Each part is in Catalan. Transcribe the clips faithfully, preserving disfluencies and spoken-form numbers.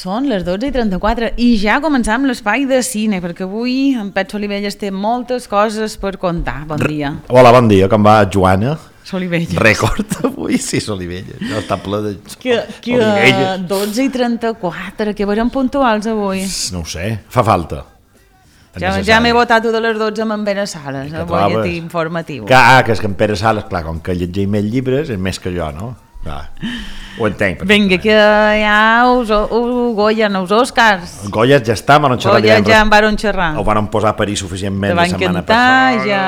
Són les dotze i trenta-quatre i ja començam l'espai de cine, perquè avui en Pep Solivelles té moltes coses per contar. Bon dia. Hola, bon dia, com va, Joana? Solivelles. Rècord avui, sí, Solivelles. No, està ple de que, que Solivelles. dotze i trenta-quatre, que veurem puntuals avui. No ho sé, fa falta. Ja, ja m'he votat de les dotze amb en Pere Sales, el butlletí informatiu. Que, ah, que és que en Pere Sales, clar, com que llegeix més llibres, és més que jo, no? Clar. Ho entenc. Vinga, que ja us, us Goya, no, els Oscars. El Goya ja està, van xerrar. Goya ja en van xerrar. Ho van posar a parir suficientment la setmana passada. Ja...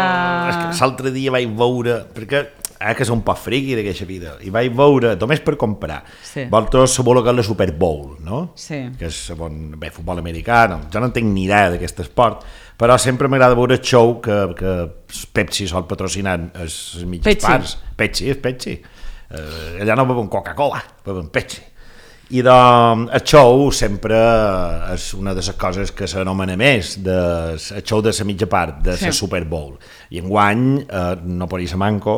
És que l'altre dia vaig veure, perquè eh, que és un poc friqui d'aquesta vida, i vaig veure, només per comprar, sí. Vosaltres sabeu que és la Super Bowl, no? Sí. Que és bon, bé, futbol americà, no, jo no entenc ni idea d'aquest esport, però sempre m'agrada veure el show que, que Pepsi sol patrocinar les mitges Pepsi. parts. Pepsi, és Pepsi. Uh, allà no beuen Coca-Cola, beuen Pepsi. I doncs el show sempre és una de les coses que s'anomena més, de, el show de la mitja part, de la sí. Super Bowl. I enguany, uh, no per ser manco,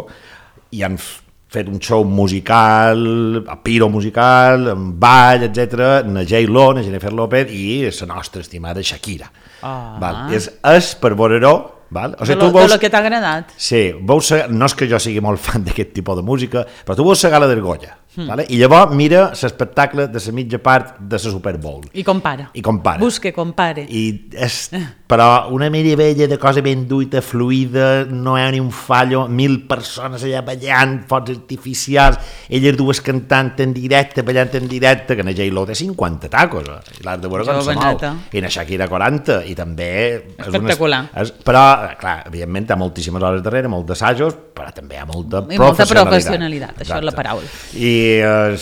i han fet un show musical, a piro musical, amb ball, etcètera, na J-Lo, na Jennifer López i la nostra estimada Shakira. Ah. Val? És, és per veure-ho, val? O sigui, de, lo, tu veus, de lo que t'ha agradat. Sí, veus, no és que jo sigui molt fan d'aquest tipus de música, però tu veus la gala del Goya, mm. vale? I llavors mira l'espectacle de la mitja part de la Super Bowl. I compara. I compara. Busque, compare. I és, però una meravella de cosa ben duita, fluida, no hi ha ni un fallo, mil persones allà ballant, focs artificials, elles dues cantant en directe, ballant en directe, que na J-Lo té cinquanta tacos, i l'art de veure com se mou, i na Shakira quaranta, i també... Espectacular. És, és, però, clar, evidentment, hi ha moltíssimes hores darrere, molts d'assajos, però també hi ha molta I professionalitat. molta professionalitat, això Exacte. És la paraula. I eh,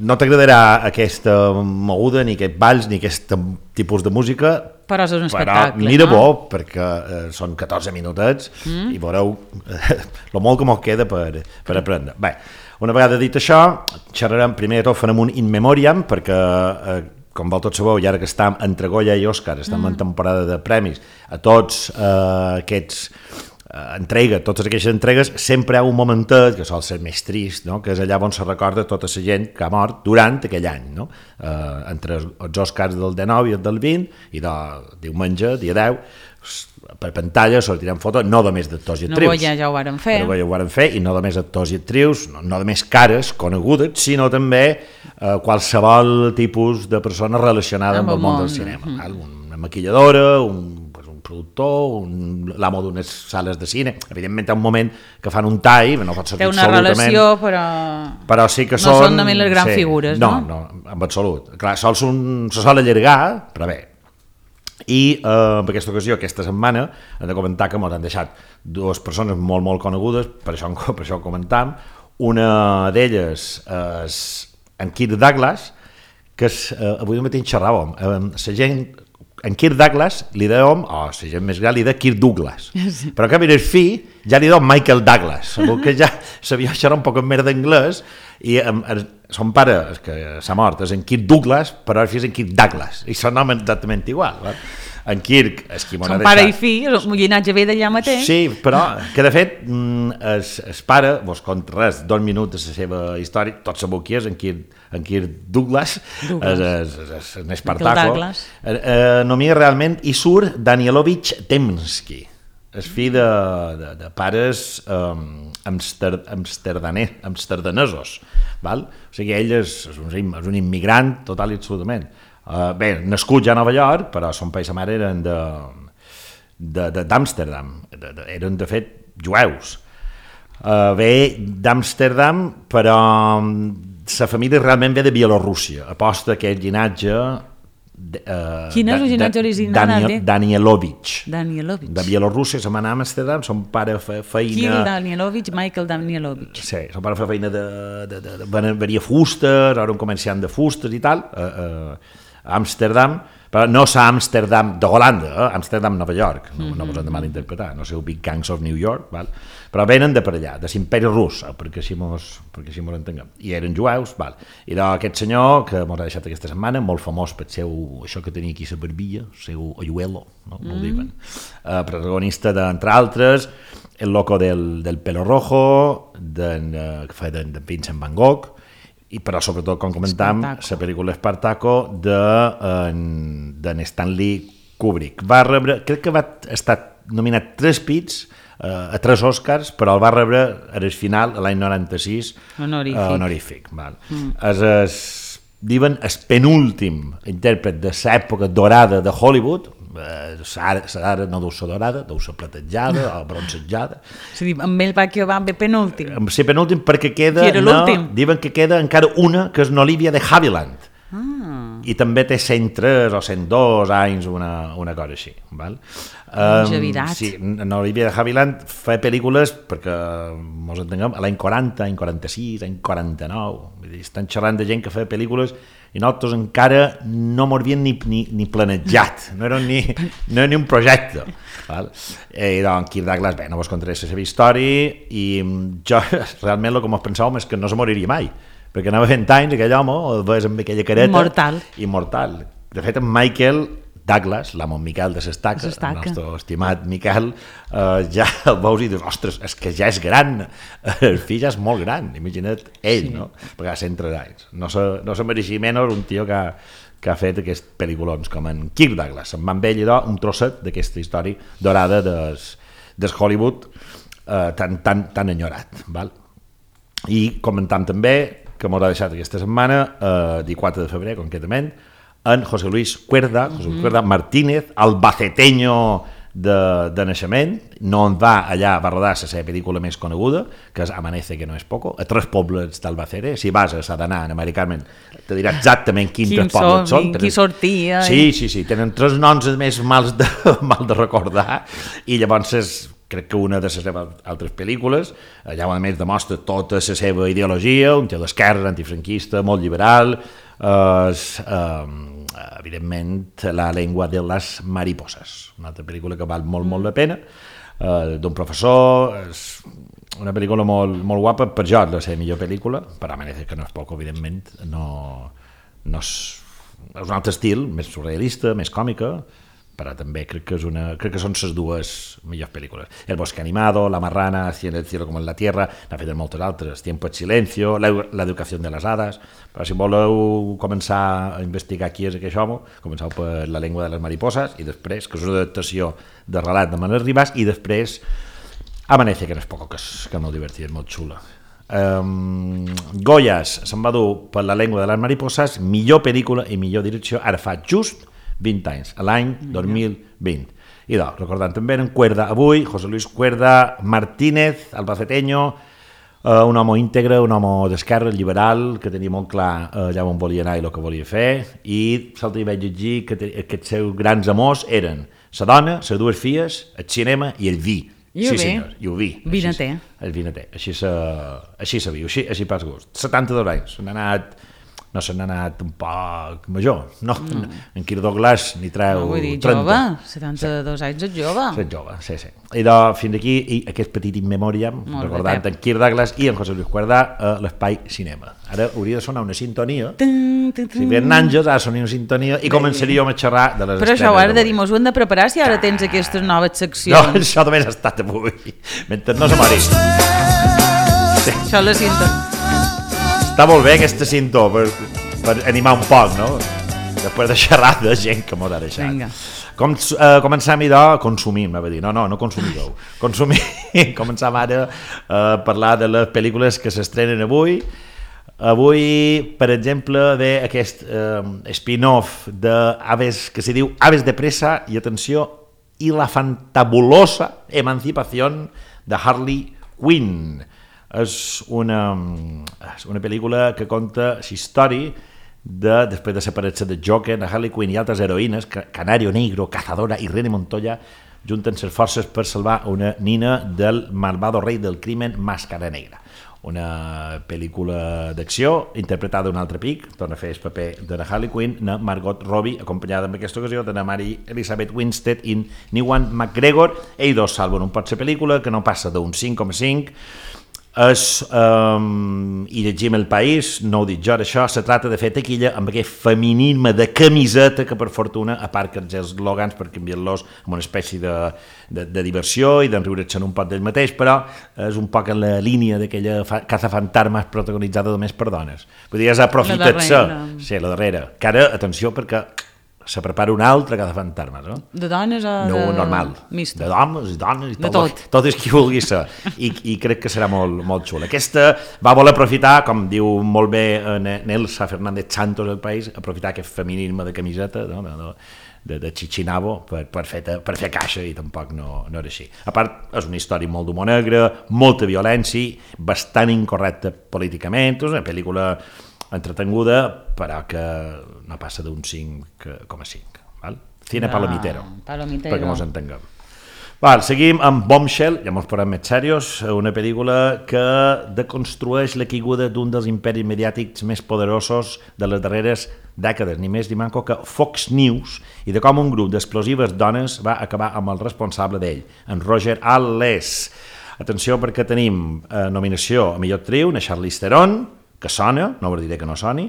no t'agradarà aquesta moguda, ni aquest balls, ni aquest tipus de música, però és un espectacle, però mira no? bo, perquè eh, són catorze minutets mm. i veureu eh, el molt que mos queda per, per aprendre. Bé, una vegada dit això, xerrarem, primer de tot farem un in memoriam, perquè eh, com vau tots sabeu, i ara que estem entre Goya i Òscar, estem mm. en temporada de premis, a tots eh, aquests eh, entrega, totes aquestes entregues, sempre hi ha un momentet que sol ser més trist, no? Que és allà on se recorda tota la gent que ha mort durant aquell any, no? Eh, entre els Òscars del dinou i el del vint, i de diumenge, dia deu, per pantalla sortiran fotos, no només d'actors i actrius. No, ja, ja ho varen fer. No, ja ho varen fer, i no només actors i actrius, no, no només cares conegudes, sinó també eh, qualsevol tipus de persona relacionada amb, amb el món del cinema. Mm -hmm. Una maquilladora, un, pues, un productor, un, l'amo d'unes sales de cine. Evidentment, hi ha un moment que fan un tall, no pot sortir absolutament... Té una relació, però... Però sí que no són... No són només les grans sí, figures, no? No, no, en absolut. Clar, sols un, se sol allargar, però bé. I eh, en aquesta ocasió, aquesta setmana, hem de comentar que ens han deixat dues persones molt, molt conegudes, per això, per això ho comentam. Una d'elles és en Kirk Douglas, que és, eh, avui mateix xerràvem, eh, la gent, en Kirk Douglas li dèiem, o la gent més gran li deia Kirk Douglas, sí. Però que mira el fill ja li dèiem Michael Douglas, que ja sabia xerrar un poc més d'anglès, i eh, son pare, que s'ha mort, és en Kirk Douglas, però el fill és en Kirk Douglas, i són noms exactament igual, va? En Kirk és qui m'ho ha deixat. Son pare i fill, el llinatge ve d'allà mateix. Sí, però que de fet el, el pare, vos conta res, dos minuts de la seva història, tots sabeu qui és, en Kirk, en Kirk Douglas, Douglas. És, és, és un espartaco. Eh, eh, nomia realment, i surt Danielovich Temsky, és fill de, de, de pares um, amster, amsterdanesos, amsterdanesos, val? O sigui, ell és, és, un, és un immigrant total i absolutament. Uh, bé, nascut ja a Nova York, però son pare i sa mare eren d'Amsterdam, de, de, de, eren de fet jueus. Uh, ve d'Amsterdam, però la família realment ve de Bielorússia, aposta aquest llinatge... Uh, Quin és el llinatge original? Daniel, Danielovich. Danielovich. De Bielorússia, se va anar a Amsterdam, son pare feia feina... Kirill Danielovich, Michael Danielovich. Sí, son pare feia feina de... de, de, de venia fustes, era un comerciant de fustes i tal, uh, uh, a Amsterdam, però no és Amsterdam de Holanda, eh? Amsterdam, Nova York, no, mm-hmm. no us hem de malinterpretar, no sé, Big Gangs of New York, val? Però venen de per allà, de l'imperi rus, perquè així mos, perquè així mos entenguem, i eren jueus, val? I d'aquest senyor, que mos ha deixat aquesta setmana, molt famós per seu, això que tenia aquí a la barbilla, el seu hoyuelo, no? Mm. Molt diuen, uh, protagonista d'entre altres, El loco del, del pelo rojo, de, uh, que fa de, de Vincent Van Gogh, i però sobretot, com comentam, la pel·lícula Espartaco de, en, de Stanley Kubrick. Va rebre, crec que va estar nominat tres pits uh, a tres Oscars, però el va rebre al final, l'any noranta-sis, honorífic. Uh, honorífic val. Mm. Es, es, diuen el penúltim intèrpret de l'època dorada de Hollywood. Ara no deu ser dorada, deu ser platejada o bronzejada. És a dir, amb ell va que va bé penúltim. Sí, penúltim perquè queda, no, diuen que queda encara una, que és n'Olivia de Havilland. Ah. I també té cent tres o cent dos anys, una, una cosa així. Val? Longevitat. Um, sí, n'Olivia de Havilland fa pel·lícules, perquè mos entenguem, a l'any quaranta, any quaranta-sis, any quaranta-nou. Vull dir, estan xerrant de gent que fa pel·lícules i nosaltres encara no m'ho havíem ni, ni, ni planejat, no era ni, no era ni un projecte. Val? I doncs Kirk Douglas, bé, no vos contaré la seva història, i jo realment el que mos pensàvem és que no se moriria mai, perquè anava fent anys aquell home, el veus amb aquella careta. Immortal. Immortal. De fet, en Michael Douglas, l'amo Miquel de l'Estaca, el nostre estimat Miquel, eh, ja el veus i dius, ostres, és que ja és gran, el fill ja és molt gran, imagina't ell, sí. No? Perquè ha cent tres anys. No se, no se mereixia menys un tio que ha, que ha fet aquests pel·lículons, com en Kirk Douglas. Se'n va amb ell, idò, un trosset d'aquesta història dorada des, des Hollywood eh, tan, tan, tan enyorat. Val? I comentam també, que m'haurà deixat aquesta setmana, eh, dia quatre de febrer, concretament, en José Luis Cuerda, José Luis Cuerda Martínez, albaceteño de, de naixement, no en va allà, va rodar la seva pel·lícula més coneguda, que és Amanece que no és poco, a tres pobles d'Albacete. Si vas a Sadaná, en americament, te dirà exactament quins tres pobles són. Qui sortia. Sí, sí, sí, tenen tres noms més mals de, mal de recordar, i llavors és, crec que una de les seves altres pel·lícules, allà a més demostra tota la seva ideologia, un tio d'esquerra, antifranquista, molt liberal, eh, eh, evidentment La lengua de les mariposas, una altra pel·lícula que val molt, molt la pena, eh, d'un professor, és una pel·lícula molt, molt guapa, per jo és la seva millor pel·lícula, per Amanece que no és poc, evidentment, no, no és, és un altre estil, més surrealista, més còmica, però també crec que, és una, crec que són les dues millors pel·lícules. El bosque animado, La marrana, Así en el cielo como en la tierra, n'ha fet moltes altres, Tiempo en silencio, La, la educación de les hadas, però si voleu començar a investigar qui és aquest home, començau per La lengua de les mariposas, i després, que és una adaptació de relat de Manuel Rivas, i després Amanece, que no és poc, que és, que és molt divertit, és molt xula. Um, Goyas se'n va dur per La lengua de les mariposas, millor pel·lícula i millor direcció, ara fa just vint anys, a l'any dos mil vint. I doncs, recordant també en Cuerda avui, José Luis Cuerda Martínez, albaceteño, eh, un home íntegre, un home d'esquerra, liberal, que tenia molt clar eh, allà on volia anar i el que volia fer, i l'altre dia vaig llegir que te, aquests seus grans amors eren la dona, les dues filles, el cinema i el vi. I sí, el vi. senyor, i el vi. Vinater. El vinater, així se, així se viu, així, així pas gust. setanta-dos anys, s'han anat... no se n'ha anat un poc major, no, no. En Kirk Douglas n'hi treu no, vull dir, trenta. Jove, setanta-dos sí. Anys és jove. És jove, sí, sí. I doncs, fins aquí, i aquest petit in memoriam, molt recordant bé, en Kirk Douglas i en José Luis Cuerda a l'Espai Cinema. Ara hauria de sonar una sintonia, tum, tum, tum. Si ven àngels, ara sonia una sintonia, i començaríem a xerrar de les però això ho has de dir, mos ho hem de preparar si ara tens aquestes noves seccions. No, això també ha estat avui, mentre no se mori. Sí. Això és la sintonia. Està molt bé aquesta cinto per, per animar un poc, no? Després de xerrar de gent que m'ho ha deixat. Vinga. Com, eh, començam idò, consumim, m'ha de dir, no, no, no consumideu. Consumim, començam ara a parlar de les pel·lícules que s'estrenen avui. Avui, per exemple, ve aquest eh, spin-off d'Aves, que se diu Aves de presa, i atenció, i la fantabulosa emancipación de Harley Quinn. És una, és una pel·lícula que conta la història de, després de separar-se de Joker, de Harley Quinn i altres heroïnes, Canario Negro, Cazadora i René Montoya junten les forces per salvar una nina del malvado rei del crimen Màscara Negra. Una pel·lícula d'acció interpretada d'un altre pic, torna a fer el paper de la Harley Quinn, na Margot Robbie, acompanyada en aquesta ocasió de la Mary Elizabeth Winstead i Ewan McGregor. Ells dos salven un pot la pel·lícula, que no passa d'un cinc coma cinc, És, um, i llegim El País, no ho dic jo, això se trata de fer taquilla amb aquest feminisme de camiseta que per fortuna, a part que els eslògans per canviar-los amb una espècie de, de, de diversió i d'enriure-se'n un poc d'ell mateix, però és un poc en la línia d'aquella fa, cazafantasmes protagonitzada només per dones. Vull dir, és aprofitar-se, sí, la darrera, que ara, atenció, perquè se prepara una altra cazafantasmes, no? De dones o no, de... normal. Mixta. De dones i dones i de tot, tot. tot és qui vulgui ser. I, i crec que serà molt, molt xula. Aquesta va voler aprofitar, com diu molt bé Nelsa Fernández Santos del País, aprofitar aquest feminisme de camiseta, no? de, de, de Chichinabo, per, per, fer, per fer caixa, i tampoc no, no era així. A part, és una història molt d'humor negre, molta violència, bastant incorrecta políticament, és una pel·lícula entretenguda, però que no passa d'un cinc coma cinc. Val? Cine no, palomitero, palomitero, perquè mos entenguem. Val, seguim amb Bombshell, ja mos posem més serios, una pel·lícula que deconstrueix la caiguda d'un dels imperis mediàtics més poderosos de les darreres dècades, ni més ni manco que Fox News, i de com un grup d'explosives dones va acabar amb el responsable d'ell, en Roger Ailes. Atenció, perquè tenim eh, nominació a millor actriu, na Charlize Theron, que sona, no us diré que no soni,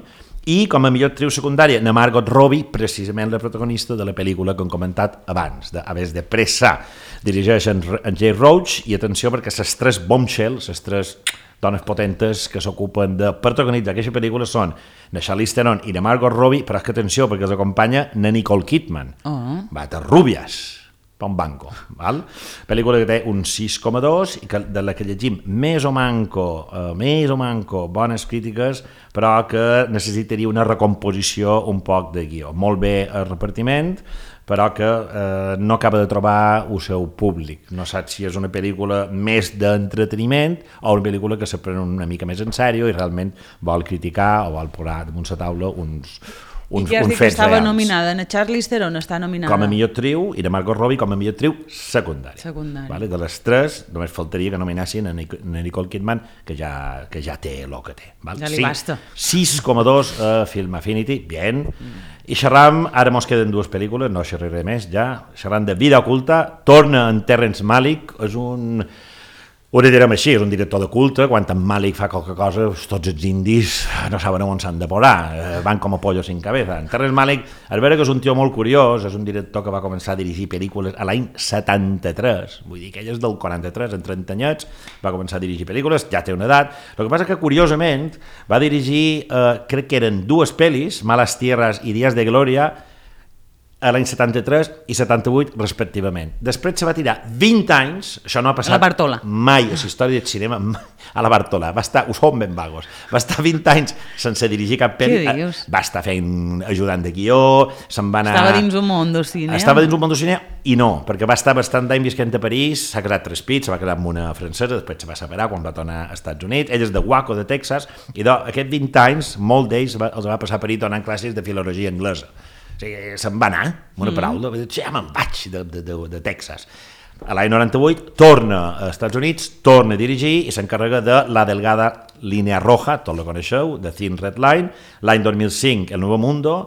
i com a millor actriu secundària, na Margot Robbie, precisament la protagonista de la pel·lícula que hem comentat abans, de Aves de Pressa. Dirigeix en, en Jay Roach, i atenció perquè les tres Bombshell, les tres dones potentes que s'ocupen de protagonitzar aquesta pel·lícula són na Charlize Theron i na Margot Robbie, però és que atenció perquè els acompanya na Nicole Kidman, oh. Bates Rubias, pa un banco, val? Pel·lícula que té un sis coma dos i que, de la que llegim més o manco, eh, més o manco bones crítiques, però que necessitaria una recomposició un poc de guió. Molt bé el repartiment, però que eh, no acaba de trobar el seu públic. No saps si és una pel·lícula més d'entreteniment o una pel·lícula que se pren una mica més en sèrio i realment vol criticar o vol posar damunt la taula uns uns, I que has uns dit que estava reals. nominada, na Charlize Theron està nominada. Com a millor actriu i de Margot Robbie com a millor actriu secundària. Secundària. Vale? De les tres, només faltaria que nominassin a Nicole Kidman, que ja, que ja té el que té. Val? Ja li sí, basta. sis coma dos a Film Affinity, bien. Mm. I xerram, ara mos queden dues pel·lícules, no xerraré més ja, xerram de Vida oculta, torna en Terrence Malick, és un... Ho direm així, és un director de culte, quan en Malick fa qualque cosa, tots els indis no saben on s'han de posar, van com a pollos sin cabeza. En Terrence Malick, a veure que és un tio molt curiós, és un director que va començar a dirigir pel·lícules a l'any setanta-tres, vull dir que ell és del quaranta-tres, en trenta anyets, va començar a dirigir pel·lícules, ja té una edat. El que passa que, curiosament, va dirigir, eh, crec que eren dues pel·lis, Malas Tierras i Días de Gloria, a l'any setanta-tres i setanta-vuit, respectivament. Després se va tirar vint anys, això no ha passat mai a la història del cinema, a la Bartola, va estar, ho som ben vagos, va estar vint anys sense dirigir cap pel·li, va estar fent ajudant de guió, se'n va anar... Estava dins un món del cine. Estava dins un món del cine i no, perquè va estar bastant d'any visquent a París, s'ha quedat tres pits, se va quedar amb una francesa, després se va separar quan va tornar als Estats Units, ell és de Waco, de Texas, i d'aquests vint anys, molt d'ells els va passar a París donant classes de filologia anglesa. O sigui, se'n va anar, amb una paraula, mm. ja me'n vaig de, de, de, de Texas. A l'any noranta-vuit torna als Estats Units, torna a dirigir i s'encarrega de La delgada línea roja, tot la coneixeu, de Thin Red Line, l'any dos mil cinc, El Nuevo Mundo,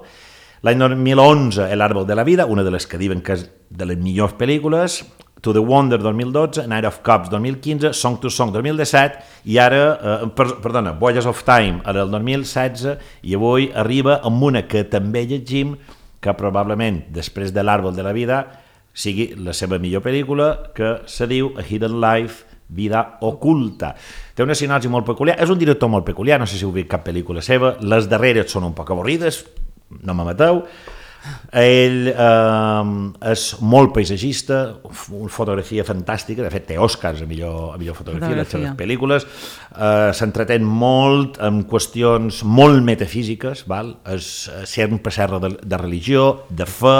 l'any dos mil onze, El árbol de la vida, una de les que diuen que és de les millors pel·lícules, To the Wonder dos mil dotze, Night of Cups dos mil quinze, Song to Song dos mil disset i ara, eh, per, perdona, Voyages of Time ara el dos mil setze i avui arriba amb una que també llegim que probablement després de l'Àrbol de la Vida sigui la seva millor pel·lícula, que se diu A Hidden Life, Vida oculta. Té una sinopsi molt peculiar, és un director molt peculiar, no sé si heu vist cap pel·lícula seva, les darreres són un poc avorrides, no me mateu. Ell eh, és molt paisatgista, una fotografia fantàstica, de fet té Oscars a millor, a millor fotografia, fotografia. Les seves pel·lícules, eh, s'entretén molt en qüestions molt metafísiques, val? És, sempre serra de, de religió, de fe,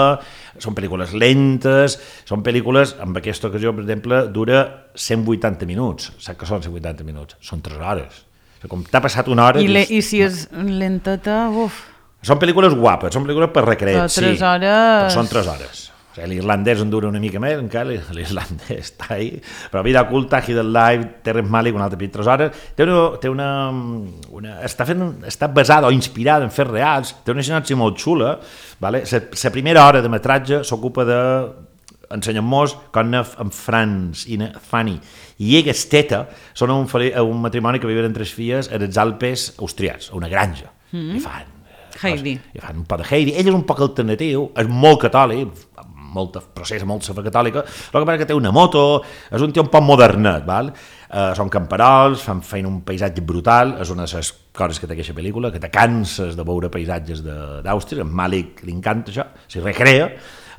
són pel·lícules lentes, són pel·lícules, en aquesta ocasió, per exemple, dura cent vuitanta minuts, saps que són cent vuitanta minuts? Són tres hores. O sigui, com t'ha passat una hora... I, le, i si és lenteta, uf... Són pel·lícules guapes, són pel·lícules per recrear, sí, hores... però són tres hores. O sigui, l'irlandès en dura una mica més, encara l'irlandès està ahí, però Vida oculta, Hidden Life, Terrence Malick, una altra tres hores, té una... Té una, una està, fent, està basada o inspirada en fets reals, té una sinopsi molt xula, vale? La primera hora de metratge s'ocupa de ensenyen-nos com en Franz i en Fanny i ella Esteta són un, un matrimoni que viuen en tres filles als Alpes austriats, a una granja, mm. i fan Heidi. I fan un poc de Heidi. Ell és un poc alternatiu, és molt catòlic, molta processa, molta fe catòlica, però que té una moto, és un tio un poc modernet, val? Uh, són camperols, fan feina un paisatge brutal, és una de les coses que té aquesta pel·lícula, que te canses de veure paisatges d'Àustria, en Malik li encanta això, s'hi recrea,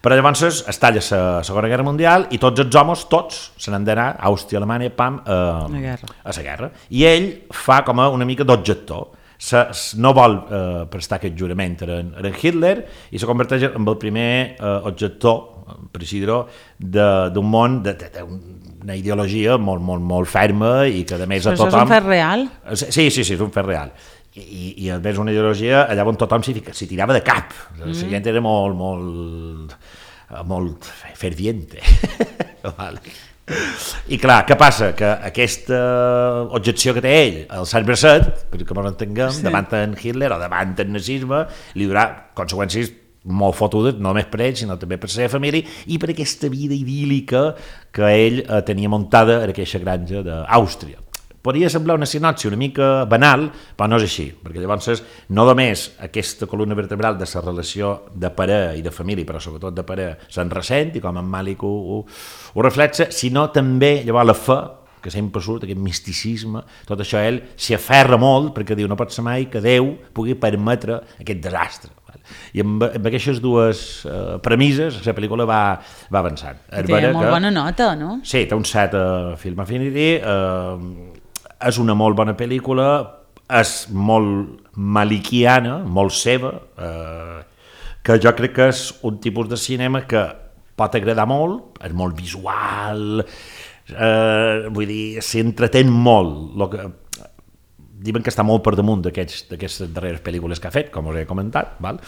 però llavors es talla la Segona Guerra Mundial i tots els homes, tots, se n'han d'anar a Àustria, Alemanya, pam, uh, a la guerra. I ell fa com a una mica d'objector, Se, no vol eh, prestar aquest jurament a en, a en Hitler i se converteix en el primer eh, objector, per així dir-ho, d'un món d'una ideologia molt, molt, molt ferma i que a més a tothom... Això és un fet real? Sí, sí, sí, és un fet real. I, i a més una ideologia allà on tothom s'hi tirava de cap. Mm. La gent era molt, molt, molt ferviente. Vale. I clar, què passa? Que aquesta objecció que té ell, el Sant Bracet, perquè ens entenguem, sí. davant en Hitler o davant el nazisme, li durà conseqüències molt fotudes, no només per ell, sinó també per la seva família i per aquesta vida idíl·lica que ell eh, tenia muntada en aquesta granja d'Àustria. Podria semblar una sinopsi una mica banal, però no és així, perquè llavors no només aquesta columna vertebral de la relació de pare i de família, però sobretot de pare, se'n ressent, i com en Malik ho, ho, ho reflexa, sinó també llavors la fe, que sempre surt, aquest misticisme, tot això ell s'hi aferra molt, perquè diu, no pot ser mai que Déu pugui permetre aquest desastre. I amb, amb aquestes dues uh, premisses la pel·lícula va, va avançant. Té molt que, bona nota, no? Sí, té un set a Film Affinity, uh, és una molt bona pel·lícula, és molt malikiana, molt seva, eh, que jo crec que és un tipus de cinema que pot agradar molt, és molt visual, eh, vull dir, s'entretén molt. Lo que, diuen que està molt per damunt d'aquestes darreres pel·lícules que ha fet, com us he comentat, val?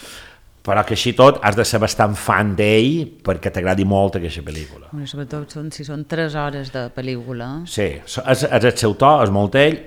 Però que així tot has de ser bastant fan d'ell perquè t'agradi molt aquesta pel·lícula. Bueno, sobretot són, si són tres hores de pel·lícula. Sí, és, és el seu to, és molt ell.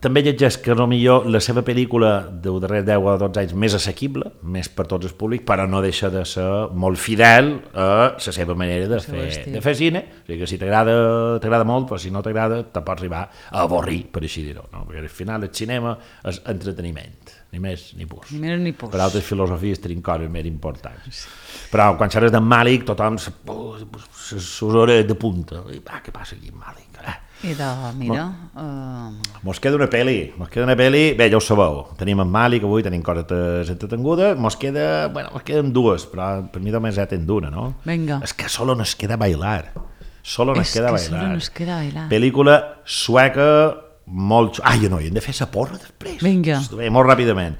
També llegeix que potser la seva pel·lícula dels darrers deu o dotze anys més assequible, més per tots els públics, però no deixa de ser molt fidel a la seva manera de, fer, de fer cine. O sigui que si t'agrada molt, però si no t'agrada te pots arribar a avorrir, per així dir-ho. No? Perquè al final el cinema és entreteniment, ni més ni pus. Ni més ni pus. Per altres filosofies tenim coses més importants. Però quan xerres d'en Malik, tothom les hores de punta. Ah, què passa aquí amb Malik? Eh? I de, mira... Uh... Mos queda una pel·li, mos queda una pel·li, bé, ja ho sabeu, tenim en Malik avui, tenim coses entretengudes, mos queda, bueno, mos queden dues, però per mi només ja ten d'una, no? Vinga. És que solo nos queda bailar, solo nos es queda que bailar. solo nos queda bailar. Pel·lícula sueca molt... Ai, no, hem de fer la porra després. Vinga. Bé, molt ràpidament.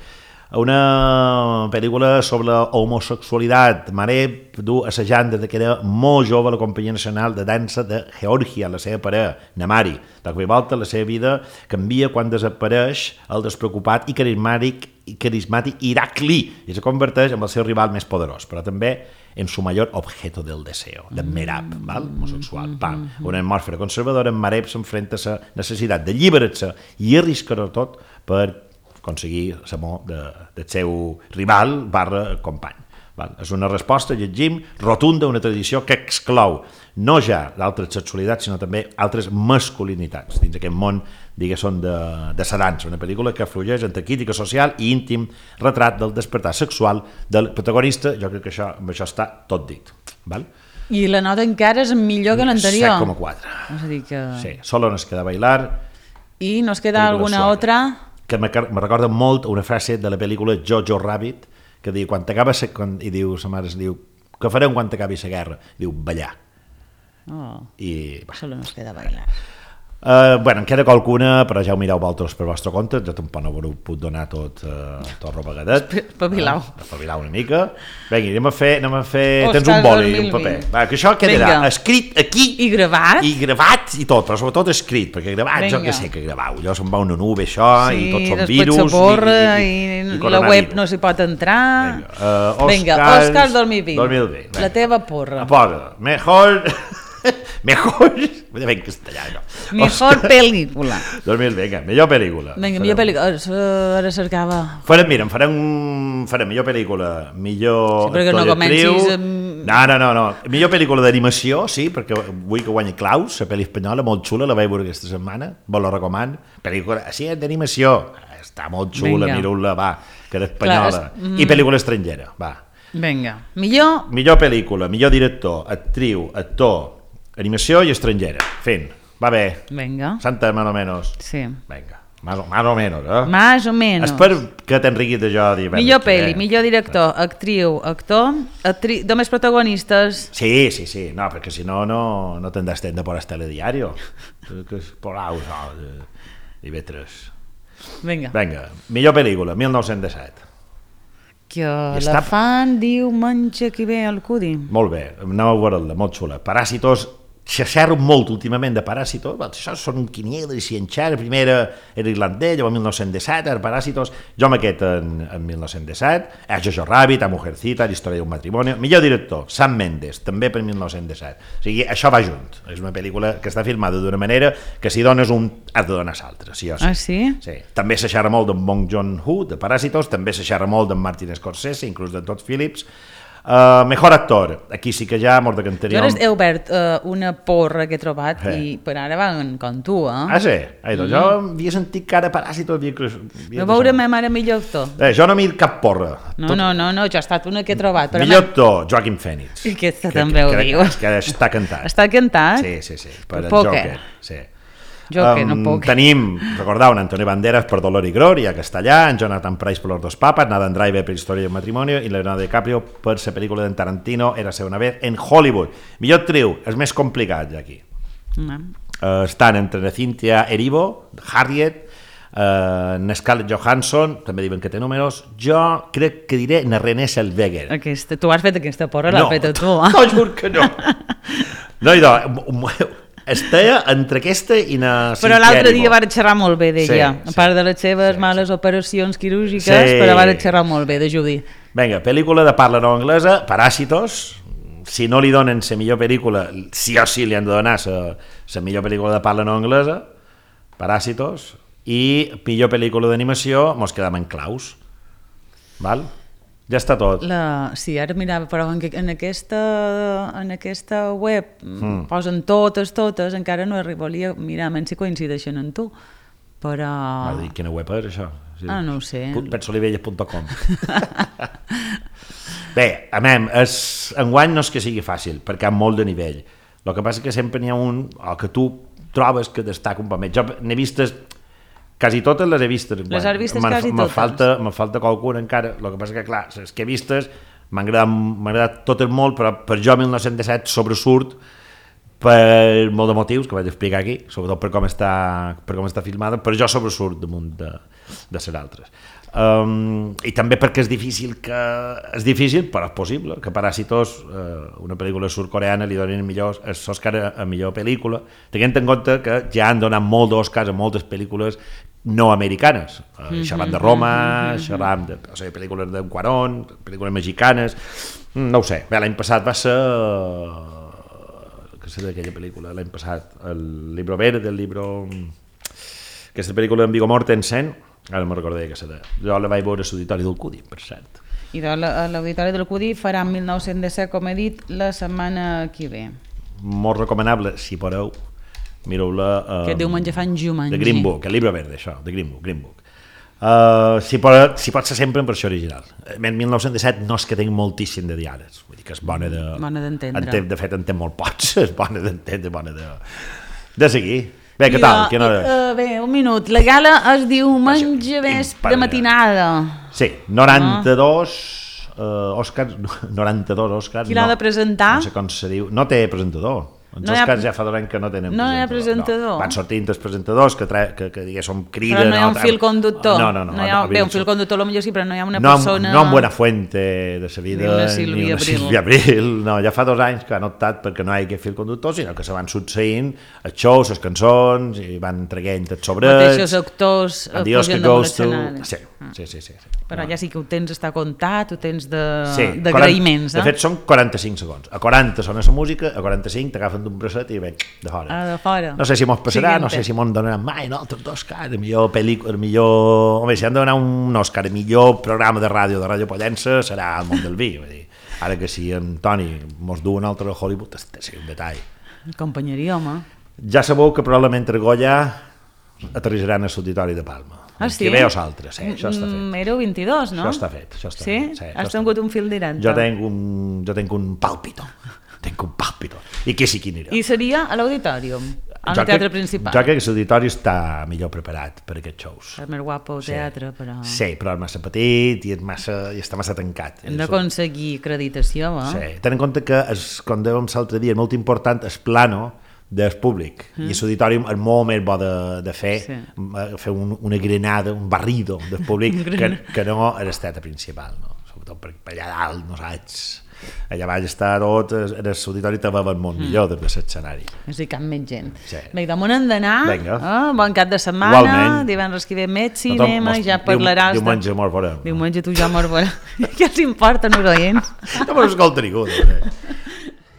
Una pel·lícula sobre homosexualitat. Mareb du assajant des que era molt jove la Companyia Nacional de Dansa de Geòrgia, la seva parella, Namari. De cop i volta la seva vida canvia quan desapareix el despreocupat i carismàtic, i carismàtic Irakli i se converteix en el seu rival més poderós, però també en su mayor objeto del deseo, de Merab, val? Homosexual. Pam. Una atmosfera conservadora, en Mareb s'enfrenta a la necessitat d'alliberar-se i arriscar-ho tot per aconseguir l'amor de, del seu rival barra company. Val? És una resposta, llegim, rotunda a una tradició que exclou no ja d'altres sexualitats, sinó també altres masculinitats dins aquest món, diguéssim, de, de la dansa. Una pel·lícula que aflueix entre crítica social i íntim retrat del despertar sexual del protagonista. Jo crec que això, amb això està tot dit. Val? I la nota encara és millor que l'anterior. set coma quatre. És a dir que... Sí, solo nos queda bailar. I nos queda alguna suave. Otra... que me, me recorda molt una frase de la pel·lícula Jojo Rabbit, que diu, quan t'acaba quan, i diu, sa mare diu, què farem quan t'acabi la guerra? Diu, ballar. Oh, I, solo nos queda bailar. Uh, bueno, en queda qualcuna, però ja ho mireu vosaltres per vostre compte, jo tampoc no ho puc donar tot, uh, tot ropegadet. Espavilau. Uh, espavilau una mica. Vinga, anem a fer... Anem a fer... Tens un boli i un paper. Va, que això quedarà Venga. Escrit aquí... I gravat. I gravat i tot, però sobretot escrit, perquè gravat, Venga. Jo que sé que gravau, allò se'n va una nube, això, sí, i tots són virus... Sí, després s'aporra i, i, i, i la web no s'hi pot entrar... Vinga, uh, Oscars, Vinga, Oscars dos mil vint. dos mil vint. La teva porra. Porra. Mejor... Mejor... Vull dir en castellà, no. Mejor pel·lícula. dos mil, vinga, millor pel·lícula. Vinga, millor pel·lícula. Ara cercava... Farem, mira, farem, farem millor pel·lícula, millor sí, actor no i actriu, No, no, no, no. Millor pel·lícula d'animació, sí, perquè vull que guanyi Klaus, la pel·li espanyola, molt xula, la vaig veure aquesta setmana, vos la recomano. Pel·lícula, sí, d'animació, està molt xula, mireu-la, va, que era espanyola. Clar, és... I pel·lícula estrangera, va. Vinga, millor... Millor pel·lícula, millor director, actriu, actor, animació i estrangera. Fent, va bé. Vinga. Santa, más o menos. Sí. Vinga. Más o, más o menos, eh? Más o menos. Espero que t'enriquis de jo. Millor pel·li, eh? Millor director, actriu, actor, actri... només protagonistes. Sí, sí, sí, no, perquè si no, no, no tendràs temps de por al telediario. Que és por aus, no, de, de vetres. Vinga. Vinga, millor pel·lícula, mil nou-cents disset. Que la fan diu menja qui ve al cudi. Molt bé, aneu a veure-la, molt xula. Paràsitos, s'aixerro molt últimament de Paràsitos, això són un quiniela i cienxar, la primera era irlandès, llavors mil nou-cents disset, era Paràsitos, jo m'aquest en, en mil nou-cents disset, a Jojo Rabbit, a Mujercita, la història d'un matrimoni, millor director, Sam Mendes, també per mil nou-cents disset, o sigui, això va junt, és una pel·lícula que està filmada d'una manera que si dones un, has de donar l'altre, sí o sí. Ah, sí? Sí. També s'aixerra molt d'en Bong Joon-ho, de Paràsitos, també s'aixerra molt d'en Martin Scorsese, inclús de Todd Phillips. Uh, mejor actor, aquí sí que ja mort de canteria. Jo he obert uh, una porra que he trobat eh. i per ara van com tu, eh? Ah, sí? Ai, doncs mm. jo havia sentit que ara Paràsitos havia... havia no veurem ara millor actor. Eh, jo no m'he dit cap porra. No, Tot... no, no, no, jo he estat una que he trobat. Però millor actor, Joaquin Phoenix. I aquesta que, també que, ho diu. Que, que està cantat. Està cantat? Sí, sí, sí, per el Joker. Sí. Joker, um, no puc. Tenim, recordeu, en Antonio Banderas per Dolor y Gloria, Castellà, en Jonathan Pryce per Los dos papas, Nathan Driver per Història d'un matrimonio i Leonardo DiCaprio per la pel·lícula d'en Tarantino Érase una vez en Hollywood. Millor actriu, és més complicat aquí. No. Uh, estan entre Cynthia Erivo, Harriet, uh, Scarlett Johansson, també diuen que té números, jo crec que diré na Renée Zellweger. Aquesta, tu has fet aquesta porra, l'has no, fet tu. Eh? No, jur que no. No, idò, estava entre aquesta i na però l'altre dia van xerrar molt bé d'ella, sí, a part sí, de les seves sí, males sí. operacions quirúrgiques, sí. però van xerrar molt bé de Judy. Vinga, pel·lícula de parla no anglesa, Paràsitos, si no li donen la millor pel·lícula, sí o sí li han de donar la millor pel·lícula de parla no anglesa, Paràsitos, i millor pel·lícula d'animació, mos quedam en Klaus, val? Ja està tot. La... Sí, ara mirava, però en, en, aquesta, en aquesta web mm. posen totes, totes, encara no arribaria, mira, menys si coincideixen en tu, però... Va dir, quina web és això? Sí. Ah, no ho sé. petsolivelles punt com. Bé, a mem, és, enguany no és que sigui fàcil, perquè hi ha molt de nivell. El que passa és que sempre n'hi ha un, o que tu trobes que destaca un poc més. Jo n'he vistes... Quasi totes les he vistes. Les has vistes quasi totes? Falta, me falta qualcuna encara. El que passa que, clar, les que he vistes m'han agradat, agradat totes molt, però per jo mil nou-cents disset sobresurt per molt de motius que vaig explicar aquí, sobretot per com està, per com està filmada, però jo sobresurt damunt de, de les altres. Um, I també perquè és difícil, que és difícil, però és possible, que Paràsitos, uh, una pel·lícula sud-coreana, li donin millors Òscar a, a millor pel·lícula, tenint en compte que ja han donat molt d'Òscars a moltes pel·lícules no americanes, uh, mm-hmm, xerram de Roma, mm-hmm. xerram de o sigui, pel·lícules de Cuarón, pel·lícules mexicanes, no ho sé. Bé, l'any passat va ser... què sé d'aquella pel·lícula? L'any passat, el Libro Verde, el Libro... Aquesta pel·lícula en Viggo Mortensen, ara no me'n recordo que serà. Jo la vaig veure a l'Auditori del Cudi, per cert. I de l'Auditori del Cudi farà mil nou-cents disset, com he dit, la setmana que ve. Molt recomanable, si podeu. Mireu-la... Um, que diumenge fan Jumanji. De Green Book, el llibre verde, això, de Green Book. Green Book. Uh, si, pot, si pot ser sempre en versió original. En mil nou-cents disset no és que tinc moltíssim de diàlegs, vull dir que és bona de... Bona d'entendre. De fet, en té molt pots, és bona d'entendre, bona de... de seguir. Bé, què tal? Jo, uh, bé, un minut. La gala es diu diumenge vespre matinada. Sí, noranta-dos uh, Òscars, noranta-dos Òscars. Qui l'ha no, de presentar? No sé com se diu. No té presentador. Els no Òscars ha... ja fa dos anys que no tenen no presentador. No hi ha presentador. No. Van sortint els presentadors que, tra... que, que diguéssim, criden... Però no hi ha un fil conductor. No, no, no. no hi ha... no bé, un fil conductor potser sí, però no hi ha una no, persona... No amb Buenafuente de sa vida, ni una Sílvia ni una Abril. Sílvia Abril. No, ja fa dos anys que han optat perquè no hi hagi fil conductor, sinó que se van succeint els shows, les cançons, i van traient els sobrets... Mateixos actors pujant damunt l'escenari. Sí, sí, sí, sí, sí. Però ja sí que ho tens està comptat, ho tens sí, d'agraïments. De fet, són quaranta-cinc segons. A quaranta sona la música, a quaranta-cinc t'agafen d'un bracet i venc, de fora. Ah, de fora. No sé si mos passarà, Siguiente. No sé si mos donaran mai, no, altres dos cares, millor pel·lícula, millor... Home, si han de donar un Òscar, millor programa de ràdio de Ràdio Pollença serà El món del vi, vull dir. Ara que si en Toni mos du un altre a Hollywood, és un detall. Companyeria, home. Ja sabeu que probablement Argolla aterrissaran al Auditori de Palma. Ah, sí? Que ve o s'altre, sí, això està fet. Éreu vint-i-dos, no? Això està fet, això està sí? fet. Sí? Has tingut un fil directe. Jo tenc un, jo tenc un pàlpito. Tenc un pàlpito. I que sí que anirà. I seria a l'auditorium, al jo teatre crec, principal. Jo crec que l'auditori està millor preparat per aquests shows. És més guapo el sí. teatre, però... Sí, però és massa petit i, és massa, i està massa tancat. Hem d'aconseguir acreditació, eh? Sí, ten en compte que, és, com dèiem l'altre dia, és molt important el plano del públic, mm. i l'auditori és molt més bo de, de fer, sí. fer un, una granada, un barrido del públic que, que no a l'esteta principal, no? Sobretot per, per allà dalt, no saps? Allà baix està tot, en l'auditori te veuen molt mm. millor des de l'escenari. És a dir, cap més gent. Sí. Bé, damunt hem d'anar, eh? Bon cap de setmana, igualment. Divendres que ve més cinema, no, ja parlaràs... Diumenge mos veurem. Diumenge tu ja mos veurem. Què els importa, no oients? No me'n escolta ningú.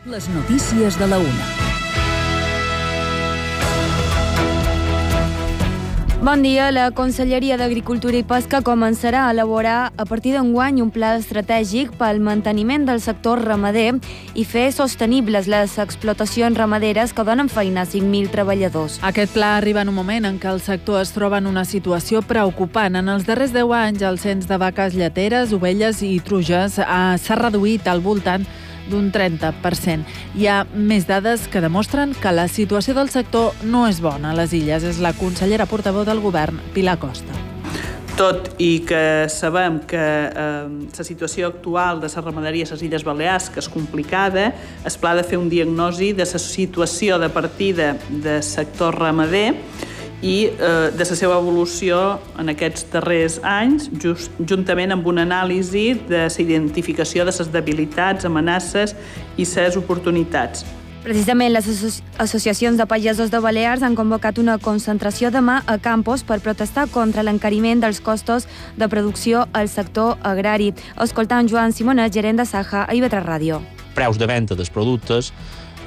Les notícies de la una. Bon dia. La Conselleria d'Agricultura i Pesca començarà a elaborar a partir d'enguany un pla estratègic pel manteniment del sector ramader i fer sostenibles les explotacions ramaderes que donen feina a cinc mil treballadors. Aquest pla arriba en un moment en què el sector es troba en una situació preocupant. En els darrers deu anys, el cens de vaques lleteres, ovelles i truges s'ha reduït al voltant d'un trenta per cent. Hi ha més dades que demostren que la situació del sector no és bona a les illes. És la consellera portaveu del govern, Pilar Costa. Tot i que sabem que eh, la situació actual de la ramaderia a les Illes Balears que és complicada, es pla de fer un diagnosi de la situació de partida del sector ramader i eh, de la seva evolució en aquests darrers anys, just, juntament amb una anàlisi de la identificació de les debilitats, amenaces i les oportunitats. Precisament les asso- associacions de pagesos de Balears han convocat una concentració demà a Campos per protestar contra l'encariment dels costos de producció al sector agrari. Escoltant Joan Simonet, gerent de Saja, a I V tres Ràdio. Preus de venda dels productes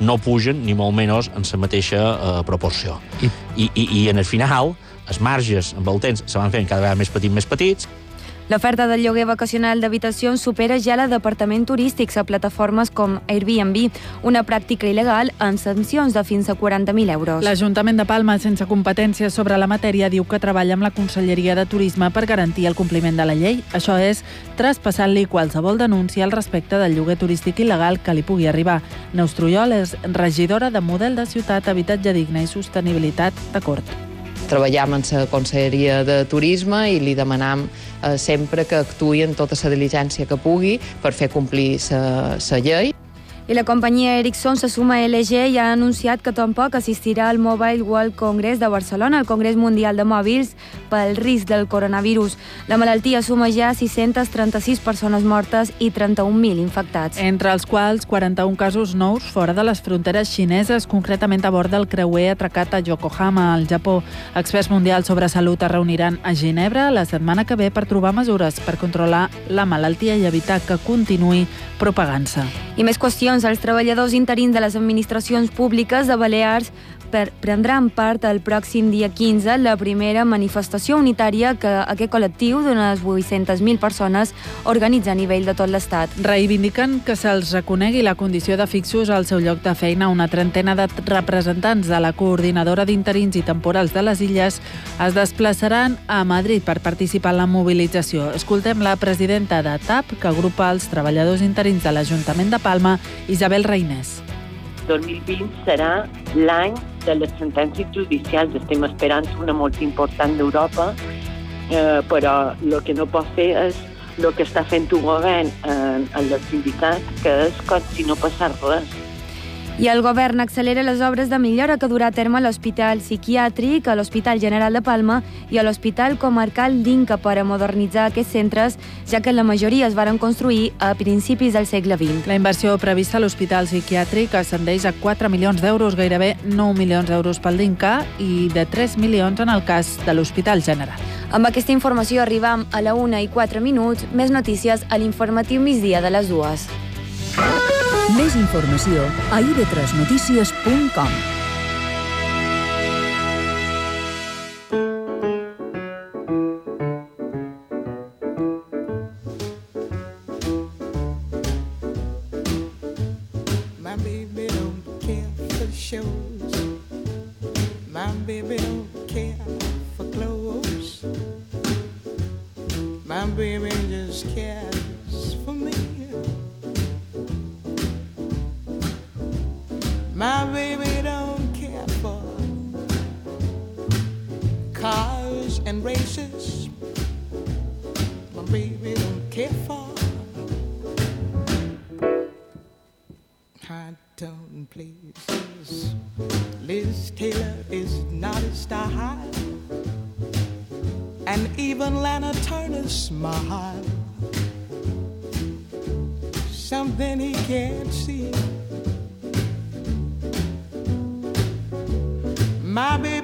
no pugen ni molt menys en la mateixa eh, proporció. I, I, i, I en el final, els marges amb el temps se van fent cada vegada més petits, més petits. L'oferta del lloguer vacacional d'habitacions supera ja la d'apartaments turístics a plataformes com Airbnb, una pràctica il·legal amb sancions de fins a quaranta mil euros. L'Ajuntament de Palma, sense competències sobre la matèria, diu que treballa amb la Conselleria de Turisme per garantir el compliment de la llei. Això és, traspassant-li qualsevol denúncia al respecte del lloguer turístic il·legal que li pugui arribar. Neus Trullol és regidora de Model de Ciutat, Habitatge Digne i Sostenibilitat de Cort. Treballam en la Conselleria de Turisme i li demanam eh, sempre que actuï en tota la diligència que pugui per fer complir la llei. I la companyia Ericsson se suma a L G i ha anunciat que tampoc assistirà al Mobile World Congress de Barcelona, el Congrés Mundial de Mòbils, pel risc del coronavirus. La malaltia suma ja sis-centes trenta-sis persones mortes i trenta-un mil infectats. Entre els quals quaranta-un casos nous fora de les fronteres xineses, concretament a bord del creuer atracat a Yokohama, al Japó. Experts mundials sobre salut es reuniran a Ginebra la setmana que ve per trobar mesures per controlar la malaltia i evitar que continuï propagant-se. I més qüestions. Els treballadors interins de les administracions públiques de Balears per, prendran part el pròxim dia quinze la primera manifestació unitària que aquest col·lectiu d'unes vuit-centes mil persones organitza a nivell de tot l'Estat. Reivindiquen que se'ls reconegui la condició de fixos al seu lloc de feina. Una trentena de representants de la Coordinadora d'Interins i Temporals de les Illes es desplaçaran a Madrid per participar en la mobilització. Escoltem la presidenta de T A P, que agrupa els treballadors interins de l'Ajuntament de Palma, Isabel Reinés. dos mil vint serà l'any de les sentències judicials. Estem esperant una molt important d'Europa, eh, però el que no pot fer és el que està fent el govern en, en els sindicats, que és com si no passés res. I el govern accelera les obres de millora que durà a terme a l'Hospital Psiquiàtric, a l'Hospital General de Palma i a l'Hospital Comarcal d'Inca per a modernitzar aquests centres, ja que la majoria es varen construir a principis del segle vint. La inversió prevista a l'Hospital Psiquiàtric ascendeix a quatre milions d'euros, gairebé nou milions d'euros pel d'Inca i de tres milions en el cas de l'Hospital General. Amb aquesta informació arribam a la una i quatre minuts. Més notícies a l'informatiu migdia de les dues. Més informació a i ve tres notícies punt com. baby don't care for clothes. My baby just cares for me. My baby don't care for cars and races. My baby don't care for high-tone places. Liz Taylor is not a style, and even Lana Turner's smile, something he can't see. My baby